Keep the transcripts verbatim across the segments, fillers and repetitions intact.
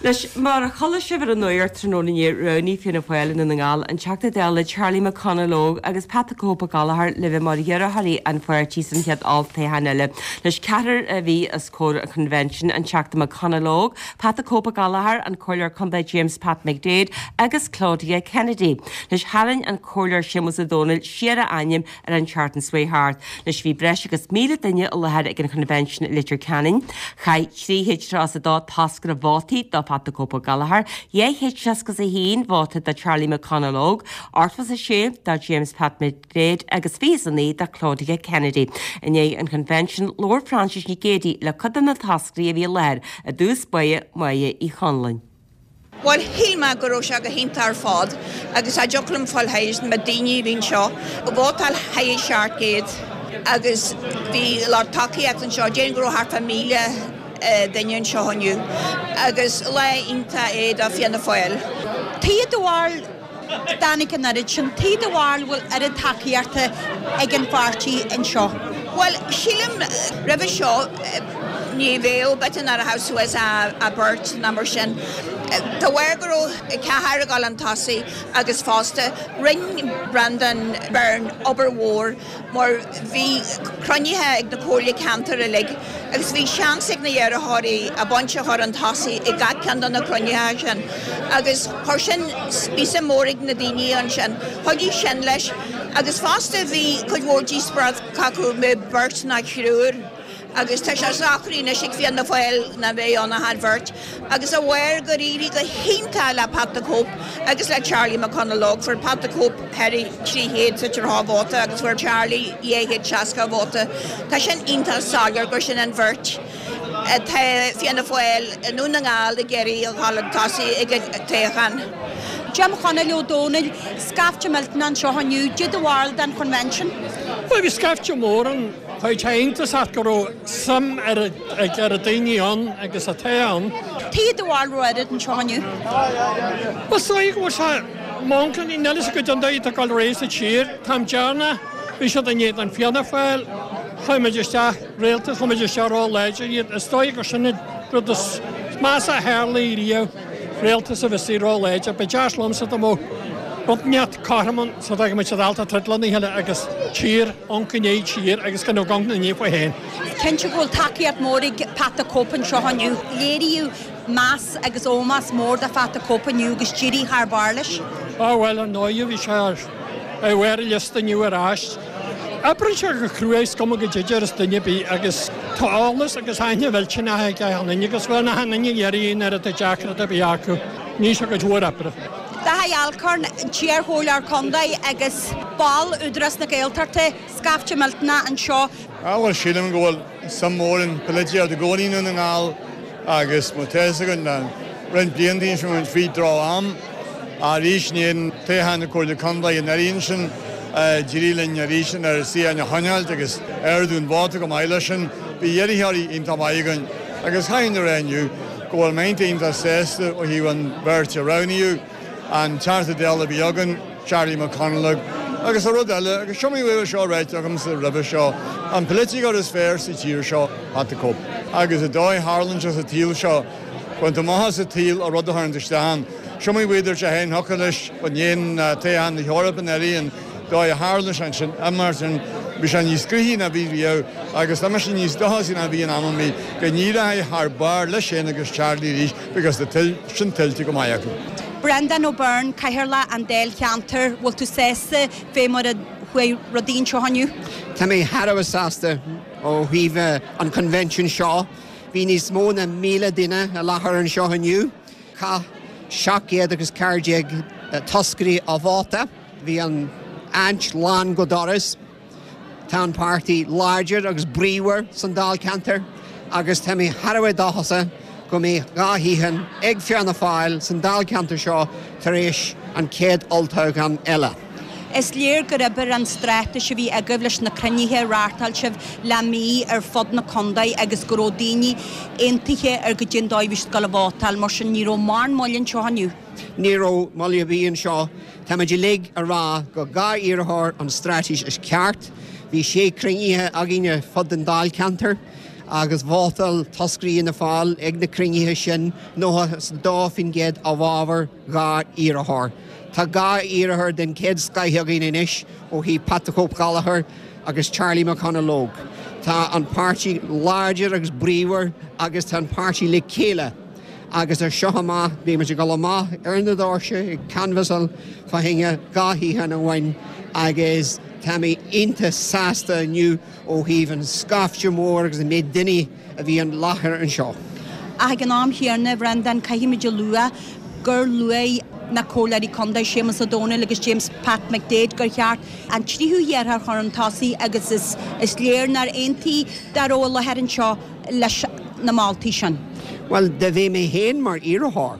Anois mar a chuala sibh ar an nuacht tráthnóna inné roghnaíodh Fianna Fáil i nDún na nGall an Teachta Dála Charlie McConalogue agus Pat the Cope Gallagher le bheith mar iarrthóirí an pháirtí san chéad olltoghchán eile. Anois ceathrar a bhí os comhair an Convention an Teachta McConalogue, Pat the Cope Gallagher, an Comhairleoir Contae James Pat McDaid agus Claudia Kennedy. Anois tharraing an Comhairleoir Séamus Ó Domhnaill siar a ainm ar an tseachtain seo thart. Anois bhí breis agus míle duine i láthair ag an Convention i Leitir Ceanainn. Chaith trí chéad tríocha a dó toscaire vótaí do Pat the Cope Gallagher, dhá chéad seasca a haon vóta do Charlie McConalogue, ochtó a sé do James Pat McDaid agus fiche a naoi do Claudia Kennedy. I ndiaidh an Convention labhair Frances Nic Géadaigh le cuid de na toscairí a bhí i láthair i dtús báire Máire Uí Chonluain. Well shíl mé go raibh sé go hiontach ar fad agus a dtiocfaidh liom fáil théis na daoine a bhí anseo, vótáil thar seacht gcéad agus bhí lucht tacaíochta anseo, déarfainn go raibh thart fá míle duine anseo inniu agus lá iontach é do Fianna Fáil. Cad é do bharúil dtáinig an oiread sin, cad é do bharúil bhfuil oiread tacaíochta ag an pháirtí anseo. Well sílim roimhe seo ní bheadh b'fhéidir nach raibh suas a beirt ná mar sin. Tá bhair go raibh ceathair ag dul chun tosaigh agus fosta rinne Brendan Byrne obair mhór mar bhí cruinnithe ag na comhairlí ceantair uilig agus bhí seans ag na hiarrthóirí a baint a chur chun tosaigh i gach ceann de na cruinnithe sin agus chuir sin spéis mór ag na daoine ansin. Chuidigh sin leis agus fosta bhí cuid mhór díospóireacht acu le beirt ná triúr. agus tá sé socraithe anois ag Fianna Fáil nach mbeidh ann ach an bheirt, agus a bharr gur éirigh go hiontach le Pat the Cope agus le Charlie McConalogue fuair Pat the Cope thar trí chéad sa dhá vóta agus fuair Charlie dhá chéad seasca vóta. Tá sin iontach soiléir gur sin an bheirt. Tá Fianna Fáil i nDún na nGall ag iarraidh a dhul chun tosaigh ag an toghchán. Jim Chonaill Ó Dónaill, scaifte millteanach anseo inniu, cad é do bharúil den Convention. Well bhí scaifte mór ann Chuid iontach go raibh suim ar ag ar a daoine ann agus atá ann. Cad é do bharúil raibh oiread anseo inniu. Well so go sé máncan i neile go den dóigh ag dul réis sa tír, Táim dearna bhí siad in éadan Fianna Fáil, chuaigh isteach rialtas chuaigh isteach ró-láidir iad is dóigh gur sin rud is measa a tharla riamh rialtas a bhí ró-láidir, Ba deas liomsa dá mbeadh rud inteacht cothrom sa dá go dalta tridlanna cheile agus tír an gné tír agus gan gan na ní féin. Cinnte go bhfuil tacaíocht mór ag Pat the Cope anseo inniu. Léiríodh meas agus ómós mór do Pat the Cope inniu agus d'éirigh thar barr leis. Á bhfuil an nóigh bhí sé ar bhar liosta inniu ar ais. Oibríonn sé go crua cuma go dtidir is duine bí agus tá eolas agus aithne mhillteanach ag an agus bhfuil na haine dhéiríonn ar a deacra a bhí acu, ní se go dúr oibre. Daithí Alcorn iarchomhairleoir contae agus ball Údarás na Gaeltachta scaifte millteanach anseo. Á bhfuil sílim go bhfuil suim mór in polaitíocht i gcónaí i nDún na nGall agus má tá go na roinnt blianta sin bhí droch-am arís ní toghchán na Comhairle Contae an éiríonn sin d'éirigh linn arís ar si an choinneáil agus ardú an vóta go maith leis sin bhí iarrthóirí iontach maith againn agus caithfidh mé a rá inniu go bhfuil mé iontach sásta ó thaobh an bheirt a roghnaíodh an Teachta Dála a bhí againn Charlie McConalogue agus a rud eile agus seo bhfuil seo ráite agamsa roimhe seo an polaiteoir is fearr sa tír seo Pat the Cope. Agus a dóigh tharlaíonn sa tsaol seo, Buint amach sa tsaol a rud a chuireann isteach. Seo bhíidir sé héin thucha leis an dhéon toghchán na hEorpa an an dóigh a tharla sin sin mar sin bhí sé níos gnaithí ná bhí riamh agus tá sin níos dóchasí ná bhí an am mí go n-éireoidh thar barr leis sin agus Charlie arís because tá sin tuillte go maith acu. Brendan O'Byrne Cathaoirleach an Dáilcheantair bhfuil tú sásta fé mar a chuaigh rudaí anseo inniu? Tá mé thar a bheith sásta ó thaobh an convention seo, Bhí níos mó ná míle duine i láthair anseo inniu, Chaith seacht gcéad agus ceathair déag toscairí a vóta, bhí an áit lán go doras, Tá an páirtí láidir agus bríomhar san Dáilcheantar agus tá mé thar a bheith dóchasach go mbeidh dhá shuíochán ag Fianna Fáil san Dáilcheantar seo tar éis an chéad olltoghchán eile. Is léir gur oibir an straitéis a bhí agaibh leis na cruinnithe a reáchtáil sibh le mí ar fud na contae agus go raibh daoine aontaithe ar go dtí dóibh scoil a vótáil mar sin ní raibh mórán moille anseo inniu. Ní raibh moill ar bith anseo Táimid uilig ag rá gur dhá iarrthóir an straitéis is ceart, Bhí sé cruinnithe againne fud an Dáilcheantar agus vótáil toscairí Fhianna Fáil ag na cruinnithe sin nócha is dó faoin gcéad i bhfabhar dhá iarrthóir. Tá dhá iarrthóir den chéad scoth againn anois ó thaobh Pat the Cope Gallagher agus Charlie McConalogue. Tá an páirtí láidir agus bríomhar agus tá an páirtí le chéile. Agus as seo amach bhí muid ag dul amach ar na doirse ag canbhasáil fá choinne dhá shuíochán amháin agus tá mé iontach sásta inniu ó thaobh an scaifte mór agus an méid duine a bhí i láthair anseo. Ach ag an am chéanna, a Bhreandáin, caithfimid a lua gur luaigh na Comhairleoirí Contae Séamus Ó Domhnaill agus James Pat McDaid gur cheart an tríú hiarrthóir a chur chun tosaigh agus is is léir nár aontaigh dá raibh i láthair anseo leis na moltaí sin. Well dá mbeadh mé féin mar iarrthóir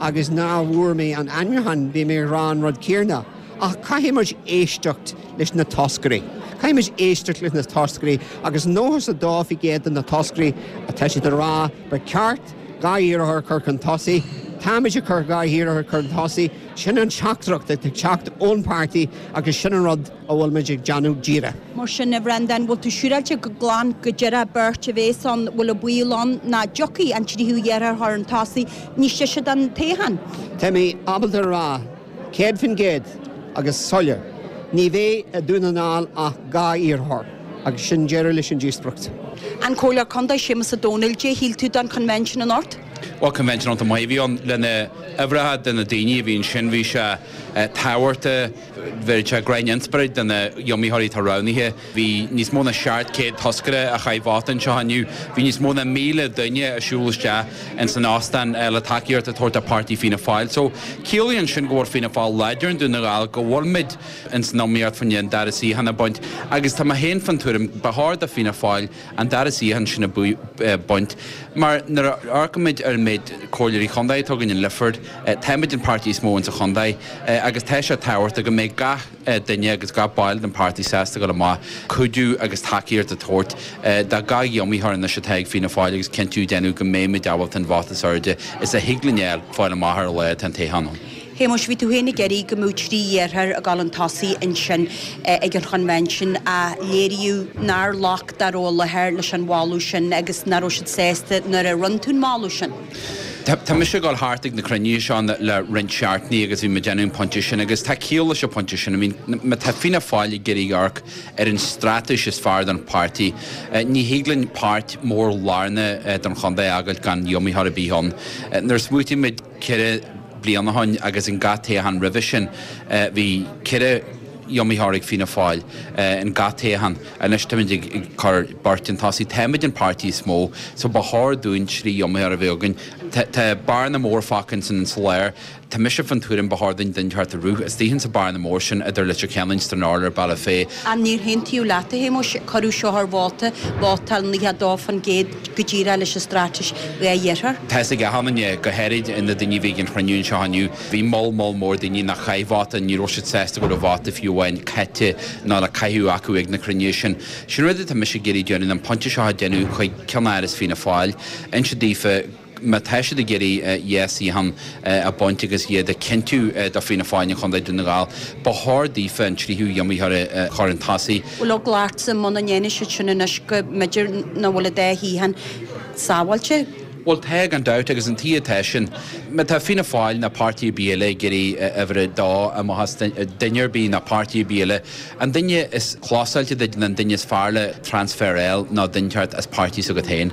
agus nach bhfuair mé an ainmniúchán bhí mé ag rá an rud céanna. Ach caithfidh muid éisteacht leis na toscairí. Caithfidh muid éisteacht leis na toscairí agus nócha is a dó faoin gcéad de na toscairí atá siad ag rá ba cheart dhá iarrthóir chur chun tosaigh, Táimid ag cur dhá iarrthóir chun tosaigh, sin an teachtaireacht ag teacht ón páirtí agus sin an rud a bhfuil muid ag déanamh díreach. Mar sin a Bhreandáin bhfuil tú siúráilte go glan go deireadh beirt a bheas ann bhfuil an baol ann nach dtiocfaidh an tríú hiarrthóir chun tosaigh níos deise don toghchán. Tá mé ábalta rá céad faoin gcéad agus soiléir. Ní bheidh i Dún na nGall ach dhá iarrthóir agus sin deireadh leis an díospóireacht. An Comhairleoir Contae Séamus Ó Domhnaill cad é shíl tú den convention anocht? Well convention an maith bhí ann lena uimhreacha de na daoine a bhí ansin bhí sé tábhachtach bhí sé grein inspioráid do na hiomaitheoirí atá roghnaithe. Bhí níos mó ná seacht céad toscaire a chaith vóta anseo inniu, bhí níos mó ná míle duine ag siúl isteach in san óstán le tacaíocht a thabhairt do páirtí Fianna Fáil. So ciallaíonn sin go bhfuil Fianna Fáil láidir i nDún na nGall go bhfuilmid in san iomaíocht faoin an dara suíochán a bhaint agus tá mé féin fan tuairim ba chóir do Fianna Fáil an dara suíochán sin a bhaint. Mar nuair a amharcaimid ar an méid comhairleoirí chontae atá againn in Lifford, táimid an páirtí is mó insa chontae agus tá sé tábhachtach go mbeidh gach duine agus gach ball den páirtí sásta go amach cuidiú agus tacaíocht a thabhairt do gach iomaitheoir anois atá ag Fianna Fáil agus cinntiú déanamh go mbeimid ábalta an vóta is airde is a thig linn a fháil amach ar lá atá an toghchán ann. Shéamuis bhí tú féin ag iarraidh go mbeadh trí iarrthóir ag dul chun tosaigh ansin ag an chonvention a léiríodh nár ghlac dá raibh i láthair leis an mholadh sin agus nach raibh siad sásta nuair a rinne tú an moladh sin. Tá mise ag dul thart ag na cruinnithe seo le roinnt seachtainí agus bhí mé déanamh an pointe sin agus tá ciall leis an pointe sin. I mean, má tá Fianna Fáil ag iarraidh amharc ar an straitéis is fearr don páirtí. Ní thig linn páirt mór lárnach don chontae a fhágáil gan iomaitheoir ar bith ann. Nuair a smaoitímid ceithre bliana ó shin agus in gach toghchán roimhe sin bhí ceithre iomaitheoir ag Fianna Fáil in gach toghchán. Anois táimid ag cur beirt chun tosaigh. Táimid an páirtí is mó, so ba chóir dúinn trí iomaitheoir a bheith againn. Tá bearna mór fágtha san soléir. Tá mise fan tuairim ba chóir duinn duine a rith istigh sa bearna mór sin idir Leitir Ceanainn Stranorlar Bealach Féich. An níor aontaíodh leat a Shéamuis cuireadh seo ar vóta vótáil nócha dó faoin gcéad go díreach leis an straitéis dhá iarrthóir. Tá ag achan go háirid na daoine a bhí ag an chruinniú anseo inniu. Bhí moll moll mór daoine nach chaith vóta ní raibh siad sásta go raibh vóta fiú amháin caite ná le caitheamh acu ag na cruinnithe sin. Sin rud atá mise ag iarraidh déanamh an pointe seo a dhéanamh chuig ceannáras Fianna Fáil. Inse daofa má tá siad ag iarraidh dhá shuíochán a bhaint agus iad a chinntiú do Fianna Fáil an Chontae Dún na nGall. Ba chóir daofa an tríú iomaitheoir a chur chun tosaigh. Bhfuil eagla ortsa muna ndéanfaidh siad sin anois go mb'fhéidir nach bhfuil an dá shuíochán sábháilte. Well tá gan dabht agus an tí atá sin, má tá Fianna Fáil na páirtí eile ag iarraidh uimhir a dó amach as duine ar bith na páirtí eile. An duine is closáilte duit an duine is fearr le transfer eil ná duine ceart as páirtí s'agat féin.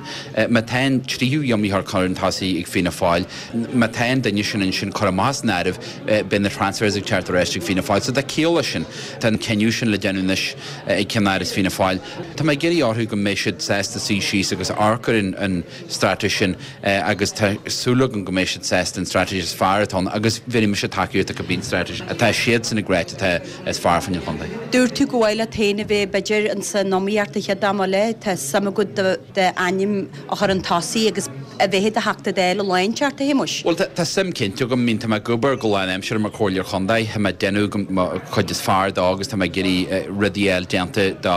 Má tá an tríú iomaitheoir chun tosaigh ag Fianna Fáil, má tá an duine sin ansin chur amach san áireamh beidh na transfers ag teacht ar ais ag Fianna Fáil, so tá ciall leis sin Tá an cinneadh sin le déanamh anois ag ceannáras Fianna Fáil. Tá mé ag iarraidh orthu go mbeidh siad sásta suí síos agus amharc ar an, an straitéis sin agus tá súil agam go mbeidh siad sásta an straitéis is fearr atá ann agus bhí mise tacaíocht go bíonn straitéis atá siad san gréit atá is fearr fan chontae. Dúirt tú go bhfuil féin a bheith b'fhéidir an san iomaíocht an chéad am eile tá suim agat d'ainm a chur chun tosaigh agus a bheith i do Theachta Dála lá inteacht, a Shéamuis? Bhuel, tá suim cinnte agam. I mean, tá mé ag obair go lánaimseartha mar Chomhairleoir Chontae, tá mé ag déanamh mo chuid is fearr dó agus tá mé ag iarraidh rudaí a fháil déanta do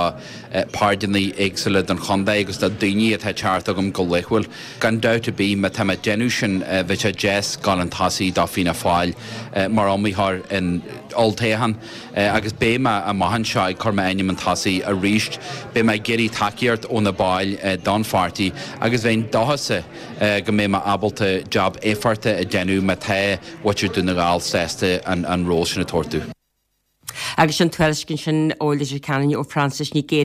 páirteanna éagsúla den chontae agus do daoine atá ag teacht chugam go laethúil. Gan dabht ar bith, má tá mé ag déanamh sin, bheadh sé deas dul chun tosaigh do Fianna Fáil mar iomaitheoir in olltoghchán agus beidh mé amach anseo ag cur m'ainm chun tosaigh arís. Beidh mé ag iarraidh tacaíocht ó na baill don pháirtí agus bheinn dóchasach go mbeidh mé ábalta jab éifeachtach a dhéanamh má tá muintir Dhún na nGall sásta an ról sin a thabhairt domh. Agus sin tuairisc ansin ó Leitir Ceanainn ó Frances Ní Ghéar.